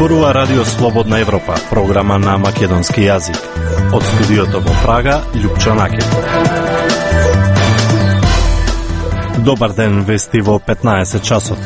Зборува Радио Слободна Европа, програма на македонски јазик. Од студиото во Прага, Љупчо Накет. Добар ден, вести во 15 часот.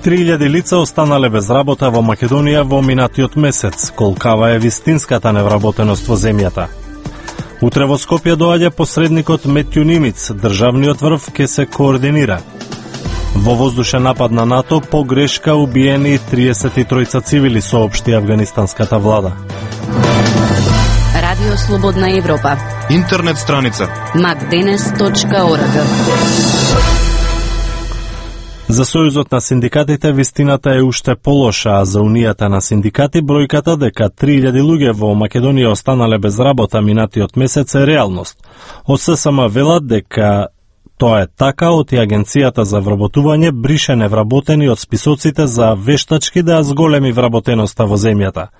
3000 лица останале без работа во Македонија во минатиот месец. Колкава е вистинската невработеност во земјата? Утре во Скопје доаѓа посредникот Метју Нимиц, државниот врв ке се координира. Во воздушен напад на НАТО по грешка убиени 33 цивили, соопшти афганистанската влада. Радио Слободна Европа. Интернет страница macdenes.org. За Сојузот на синдикатите вистината е уште полоша, а за Унијата на синдикати бројката дека 3000 луѓе во Македонија останале без работа минатиот месец е реалност. Од ССМ велат дека тоа е така, оти Агенцијата за вработување брише невработени од списоците за вештачки да зголеми вработеноста во земјата.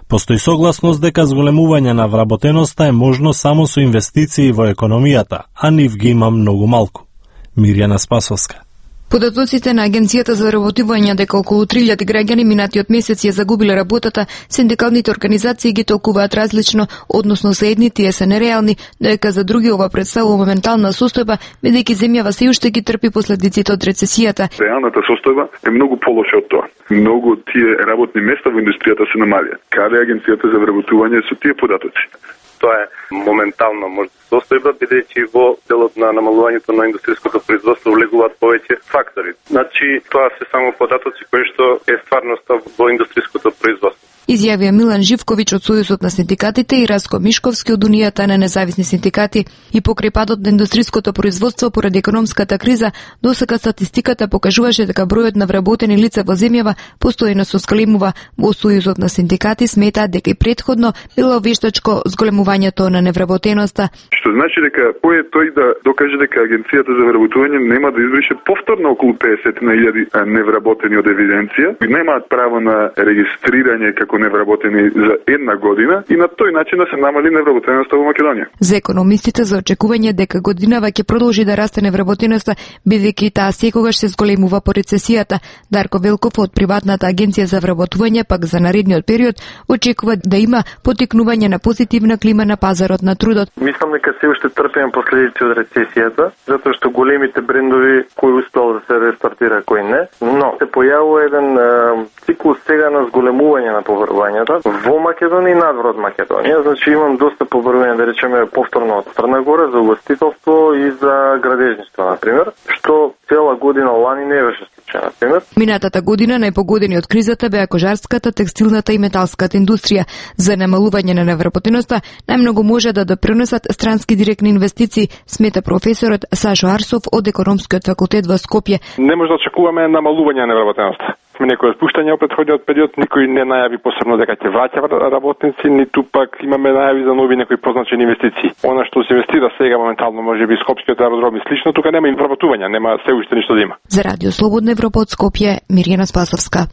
Постои согласност дека зголемување на вработеноста е можно само со инвестиции во економијата, а нив ги има многу малку. Мирјана Спасовска. Податоците на Агенцијата за вработување дека околу 3000 граѓани минатиот месец ја загубиле работата, синдикалните организации ги толкуваат различно, односно за едни тие се нереални, дека за други ова представува моментална состојба, бидејќи земјава се уште ги трпи последиците од рецесијата. Реалната состојба е многу полоша од тоа. Многу од тие работни места во индустријата се намалија. Каде е Агенцијата за вработување со тие податоци? Тоа е моментално можда состојба, бидејќи во делот на намалувањето на индустријското производство влегуваат повеќе фактори. Значи, тоа се само податоци кои што е стварноста во индустријското производство. Изјавија Милан Живковиќ од Сојузот на синдикатите и Раско Мишковски од Унијата на независни синдикати. И покрај падот на индустријското производство поради економската криза, досега статистиката покажуваше дека бројот на вработени лица во земјава постојано се зголемува. Во Сојузот на синдикати сметаат дека и претходно било вештачко зголемувањето на невработеноста. Што значи дека кој е тој да докаже дека Агенцијата за вработување нема да избрише повторно околу 50.000 невработени од евиденција и немаат право на регистрирање како невработени за една година и на тој начин да се намали невработеноста во Македонија. За економистите за очекување дека годинава ќе продолжи да расте невработеноста, бидејќи таа секогаш се зголемува по рецесијата. Дарко Велков од приватната агенција за вработување пак за наредниот период очекува да има поттикнување на позитивна клима на пазарот на трудот. Мислам дека се уште трпиме последици од рецесијата, затоа што големите брендови кои успеал да се рестартира, кои не, но се појавува еден циклус сега на зголемување на поврвањата во Македонија и надвор од Македонија. Значи имам доста поврвања, да речеме, повторно од Црна Гора за угостителство и за градежништво, например, што цела година лани не беше случај, например. Минатата година најпогодени од кризата беа кожарската, текстилната и металската индустрија. За намалување на невработеноста најмногу може да допринесат странски директни инвестиции, смета професорот Сашо Арсов од економскиот факултет во Скопје. Не може да очекуваме намалување на невработеноста. Некој спуштање од претходниот период, никој не најави посебно дека ќе враќа работници, ниту пак имаме најави за нови некои позначени инвестиции. Она што се инвестира сега моментално, можеби скопскиот аеродром и слично, тука нема вработување, нема се уште ништо да има. За Радио Слободна Европа од Скопје, Мирјана Спасовска.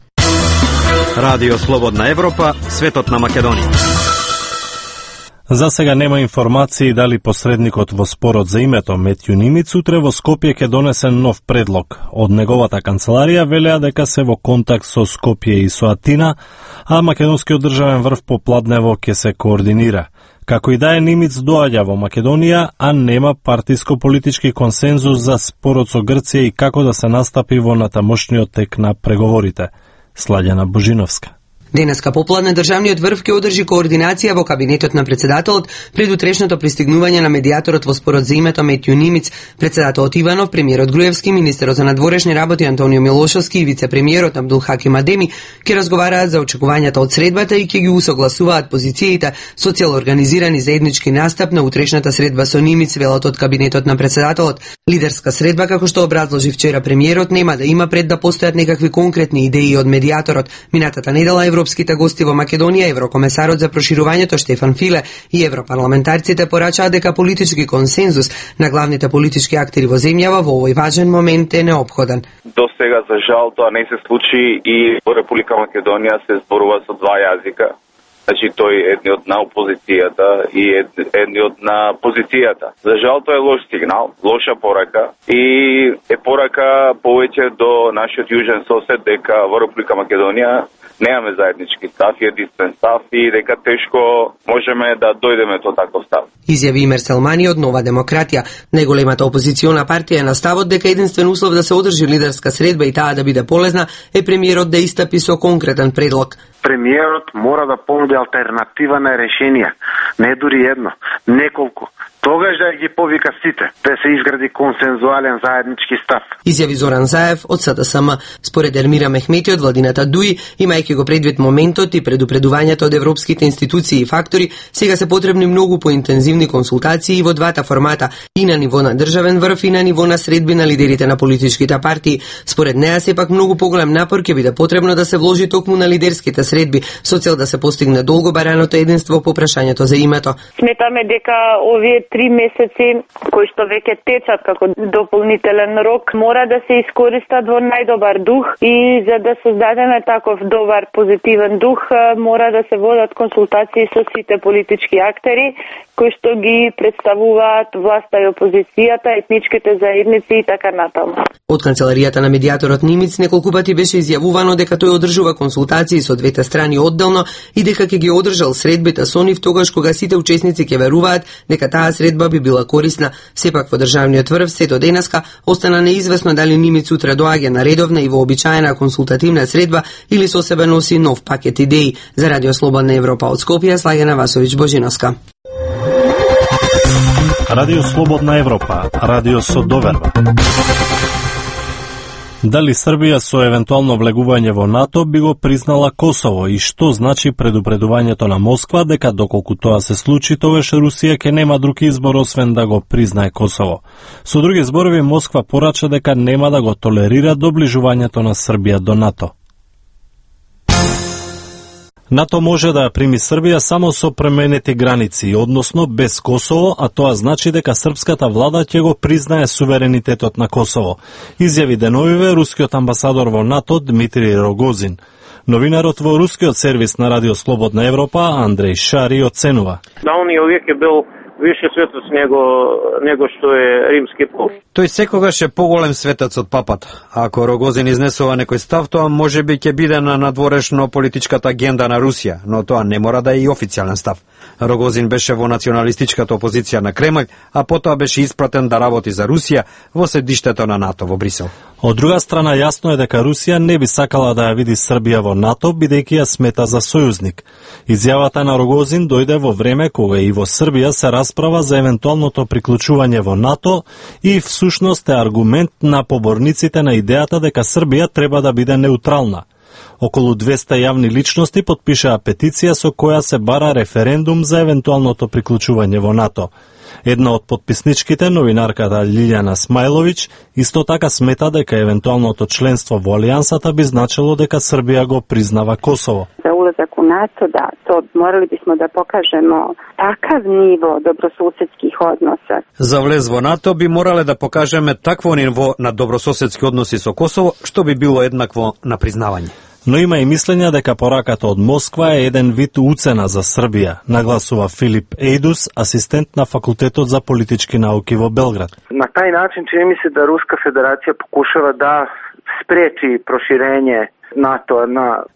Радио Слободна Европа, светот на Македонија. За сега нема информации дали посредникот во спорот за името Метју Нимиц утре во Скопје ќе донесе нов предлог. Од неговата канцеларија велеа дека се во контакт со Скопје и со Атина, а македонскиот државен врв по Пладнево ќе се координира. Како и да е, Нимиц доаѓа во Македонија, а нема партиско-политички консензус за спорот со Грција и како да се настапи во натамошниот тек на преговорите. Сладјана Божиновска. Денеска попладне државниот врв ќе одржи координација во кабинетот на председателот пред утрешното пристигнување на медијаторот во спорот за името Метју Нимиц, председателот Иванов, премиерот Груевски, министерот за надворешни работи Антонио Милошовски и вице-премиерот Абдулхаким Адеми ќе разговараат за очекувањата од средбата и ќе ги усогласуваат позициите со цел организирани заеднички настап на утрешната средба со Нимиц, велат од кабинетот на председателот. Лидерска средба, како што образложи вчера премиерот, нема да има пред да постојат некакви конкретни идеи од медијаторот. Минатата недела европските гости во Македонија, еврокомесарот за проширувањето Штефан Филе и европарламентарците порачаа дека политички консензус на главните политички актери во земјава во овој важен момент е неопходен. До сега, за жал, тоа не се случи и во Република Македонија се зборува со два јазика. Значи тој е едниот на опозицијата и едниот на позицијата. За жал тоа е лош сигнал, лоша порака и е порака повеќе до нашиот јужен сосед дека во Република Македонија немаме заеднички став, единствен став и дека тешко можеме да дојдеме до таков став. Изјави Имер Селмани од Нова демократија. Најголемата опозициона партија е на ставот дека единствен услов да се одржи лидерска средба и таа да биде полезна е премиерот да истапи со конкретен предлог. Премиерот мора да понуди алтернатива на решенија, не дури едно, неколку. Тогаш да ги повика сите, да се изгради консензуален заеднички став. Изјави Зоран Заев од СДСМ. Според Ермира Мехмети од владината ДУИ, имајќи го предвид моментот и предупредувањето од европските институции и фактори, сега се потребни многу поинтензивни консултации во двата формата, и на ниво на државен врв и на ниво на средби на лидерите на политичките партии. Според неа сепак многу поголем напор ќе биде потребно да се вложи токму на лидерските средби со цел да се постигне долго бараното единство по прашањето за името. Сметаме дека овие 3 месеци кои што веќе течат како дополнителен рок мора да се искористат во најдобар дух и за да создадеме таков добар позитивен дух мора да се водат консултации со сите политички актери кои што ги представуваат власта и опозицијата, етничките заедници и така натаму. Од канцеларијата на медијаторот Нимиц неколку пати беше изјавувано дека тој одржува консултации со двете страни одделно и дека ќе ги одржал средбите со нив тогаш кога сите учесници ќе веруваат дека таа средба би била корисна. Сепак во државниот врв се до денеска остана неизвестно дали Нимиц утре доаѓа на редовна и вообичаена консултативна средба или со себе носи нов пакет идеи. За Радио Слободна Европа од Скопје, Слагена Васовиќ Божиновска. Радио Слободна Европа, радио со доверба. Дали Србија со евентуално влегување во НАТО би го признала Косово и што значи предупредувањето на Москва дека доколку тоа се случи, тогаш Русија ќе нема друг избор освен да го признае Косово. Со други зборови, Москва порача дека нема да го толерира доближувањето на Србија до НАТО. НАТО може да ја прими Србија само со пременети граници, односно без Косово, а тоа значи дека српската влада ќе го признае суверенитетот на Косово, изјави деновиве рускиот амбасадор во НАТО Дмитрий Рогозин. Новинарот во рускиот сервис на Радио Слободна Европа Андрей Шари оценува. Да, он и овек е бил више светоц него што е римски поп. Тој секогаш е поголем светец од папата. Ако Рогозин изнесува некој став, тоа можеби ќе биде на надворешно политичката агенда на Русија, но тоа не мора да е и официјален став. Рогозин беше во националистичката опозиција на Кремљ, а потоа беше испратен да работи за Русија во седиштето на НАТО во Брисел. Од друга страна, јасно е дека Русија не би сакала да ја види Србија во НАТО, бидејќи ја смета за сојузник. Изјавата на Рогозин дојде во време кога и во Србија се расправа за евентуалното приклучување во НАТО и всушност е аргумент на поборниците на идејата дека Србија треба да биде неутрална. Околу 200 јавни личности потпишаа петиција со која се бара референдум за евентуалното приклучување во НАТО. Една од потписничките, новинарката Лилјана Смајловиќ, исто така смета дека евентуалното членство во Алијансата би значило дека Србија го признава Косово. За улазак у НАТО, да, то морали бисмо да покажемо такав ниво добросуседских односа. За влез во НАТО би морале да покажеме такво ниво на добрососедски односи со Косово, што би било еднакво на признавање. Но има и мислење дека пораката од Москва е еден вид уцена за Србија, нагласува Филип Ејдус, асистент на Факултетот за политички науки во Белград. На тај начин чини ми се да Руска федерација покушава да спречи проширење НАТО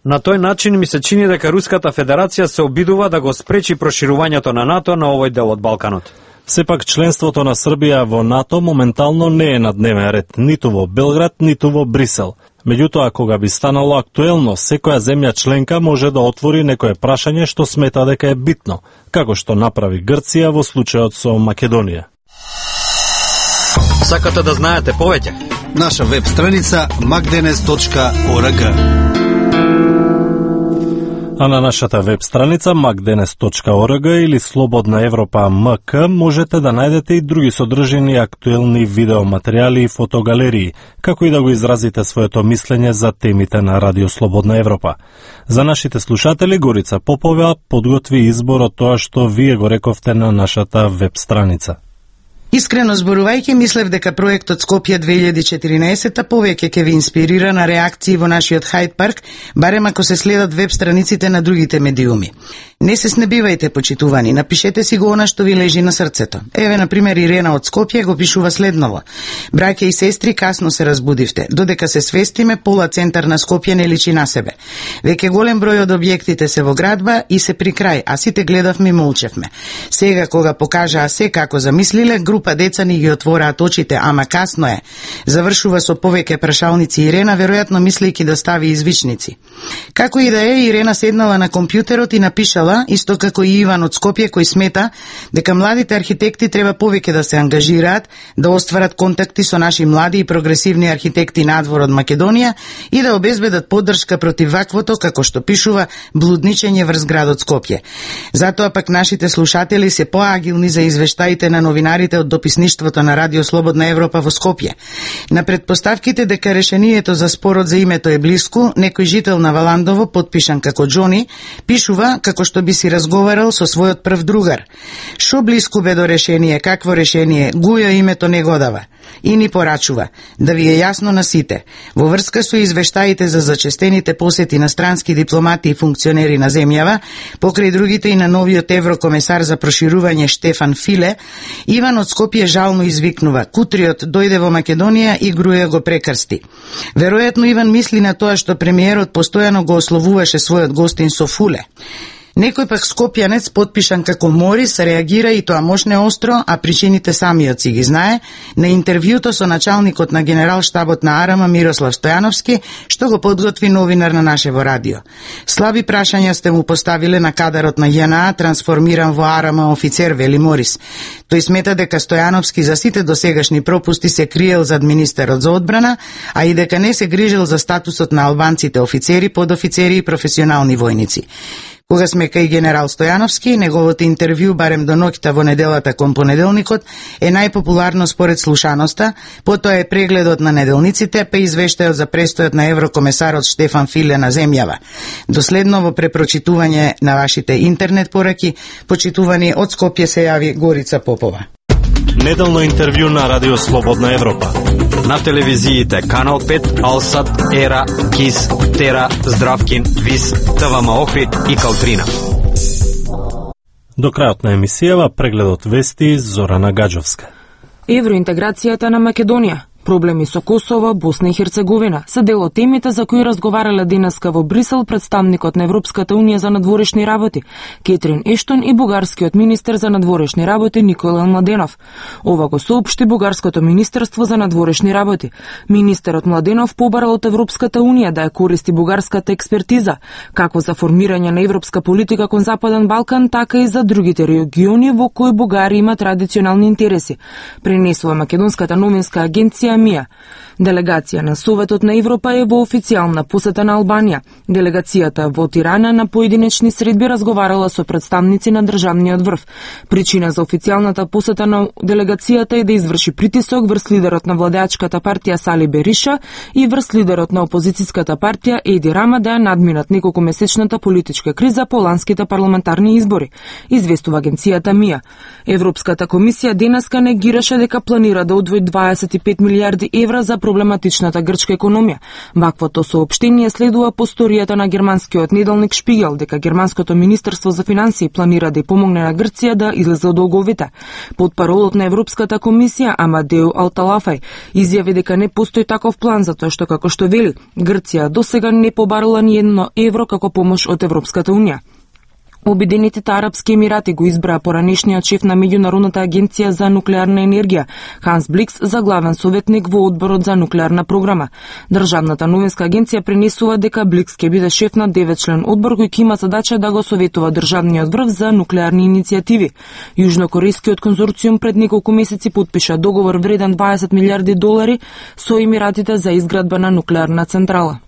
На тој начин ми се чини дека Руската федерација се обидува да го спречи проширувањето на НАТО на овој дел од Балканот. Сепак членството на Србија во НАТО моментално не е на дневен ред, ниту во Белград, ниту во Брисел. Меѓутоа, кога би станало актуелно, секоја земја членка може да отвори некое прашање што смета дека е битно, како што направи Грција во случајот со Македонија. Сакате да знаете повеќе? Наша веб страница magdenes.org. А на нашата веб страница magdenes.org или Слободна Европа МК можете да најдете и други содржини актуелни видеоматеријали и фотогалерии, како и да го изразите своето мислење за темите на Радио Слободна Европа. За нашите слушатели Горица Попова подготви избор од тоа што вие го рековте на нашата веб страница. Искрено зборувајќи, мислев дека проектот Скопје 2014 повеќе ќе ви инспирира на реакции во нашиот Хајд парк, барем ако се следат веб страниците на другите медиуми. Не се снебивајте, почитувани, напишете си го она што ви лежи на срцето. Еве, на пример, Ирена од Скопје го пишува следново. Браќа и сестри, касно се разбудивте. Додека се свестиме, пола центар на Скопје не личи на себе. Веќе голем број од објектите се во градба и се при крај, а сите гледавме и молчевме. Сега, кога покажаа се како замислиле, група деца ни ги отвораат очите, ама касно е. Завршува со повеќе прашалници Ирена, веројатно мислејќи да стави извичници. Како и да е, Ирена седнала на компјутерот и напишала, исто како и Иван од Скопје, кој смета дека младите архитекти треба повеќе да се ангажираат, да остварат контакти со наши млади и прогресивни архитекти надвор од Македонија и да обезбедат поддршка против ваквото, како што пишува, блудничење врз градот Скопје. Затоа пак нашите слушатели се поагилни за извештаите на новинарите од дописништвото на Радио Слободна Европа во Скопје. На предпоставките дека решението за спорот за името е блиску, некој жител на Валандово, подпишан како Џони, пишува како што би си разговарал со својот прв другар. Шо блиску бе до решение, какво решение, Гујо името не го дава. И ни порачува, да ви е јасно на сите, во врска со извештаите за зачестените посети на странски дипломати и функционери на земјава, покрај другите и на новиот еврокомесар за проширување Штефан Филе, Иван од Скопје жално извикнува, кутриот дојде во Македонија и Груја го прекрсти. Веројатно Иван мисли на тоа што премиерот постојано го ословуваше својот гостин со фуле. Некој пак скопјанец, подпишан како Морис, реагира и тоа мошне остро, а причините самиот си ги знае, на интервјуто со началникот на генерал-штабот на Арама Мирослав Стојановски, што го подготви новинар на нашево радио. Слаби прашања сте му поставиле на кадарот на ЈНА, трансформиран во Арама офицер, вели Морис. Тој смета дека Стојановски за сите досегашни пропусти се криел зад министерот за одбрана, а и дека не се грижил за статусот на албанците офицери, подофицери и професионални војници. Кога сме кај генерал Стојановски, неговото интервју барем до ноќта во неделата кон понеделникот е најпопуларно според слушаноста, потоа е прегледот на неделниците, па извештајот за престојот на еврокомесарот Штефан Филе на земјава. Доследно во препрочитување на вашите интернет пораки, почитувани од Скопје се јави Горица Попова. Неделно интервју на Радио Слободна Европа. На телевизиите Канал 5, Алсат, Ера, Кис, Тера, Здравкин, Вис, ТВМ Охрид и Калтрина. До крајот на емисијава прегледот вести Зорана Гаджовска. Евроинтеграцијата на Македонија. Проблеми со Косово, Босна и Херцеговина се дел од темите за кои разговарале денеска во Брисел представникот на Европската унија за надворешни работи Кетрин Ештон и бугарскиот министер за надворешни работи Никола Младенов. Ова го соопшти бугарското министерство за надворешни работи. Министерот Младенов побарал од Европската унија да ја користи бугарската експертиза, како за формирање на европска политика кон Западен Балкан, така и за другите региони во кои Бугарија има традиционални интереси, пренесува македонската новинска агенција МИА. Делегација на Советот на Европа е во официјална посета на Албанија. Делегацијата во Тирана на поединечни средби разговарала со представници на државниот врв. Причина за официјалната посета на делегацијата е да изврши притисок врз лидерот на владеачката партија Сали Бериша и врз лидерот на опозицијската партија Еди Рама да ја надминат неколкумесечната политичка криза по ланските парламентарни избори, известува агенцијата МИА. Европската комисија денеска негираше дека планира да одвои 25 милиарди евра за проблематичната грчка економија. Ваквото соопштение следува по сторијата на германскиот неделник Шпигел дека германското министерство за финансии планира да ја помогне на Грција да излезе од долговите. Потпаролот на Европската комисија Амадеу Алталафај изјави дека не постои таков план затоа што, како што вели, Грција досега не побарала ни едно евро како помош од Европската унија. Обединетите арапски емирати го избраа поранешниот шеф на Меѓународната агенција за нуклеарна енергија, Ханс Бликс, за главен советник во одборот за нуклеарна програма. Државната новинска агенција пренесува дека Бликс ќе биде шеф на 9-член одбор кој ќе има задача да го советува државниот врв за нуклеарни иницијативи. Јужнокорејскиот конзорциум пред неколку месеци потпиша договор вреден 20 милиарди долари со емиратите за изградба на нуклеарна централа.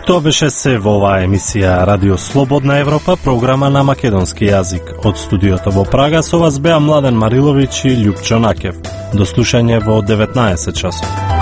Тоа беше се во оваа емисија Радио Слободна Европа, програма на македонски јазик. Од студиото во Прага со вас беа Младен Мариловиќ и Љупчо Накев. До слушање во 19 часот.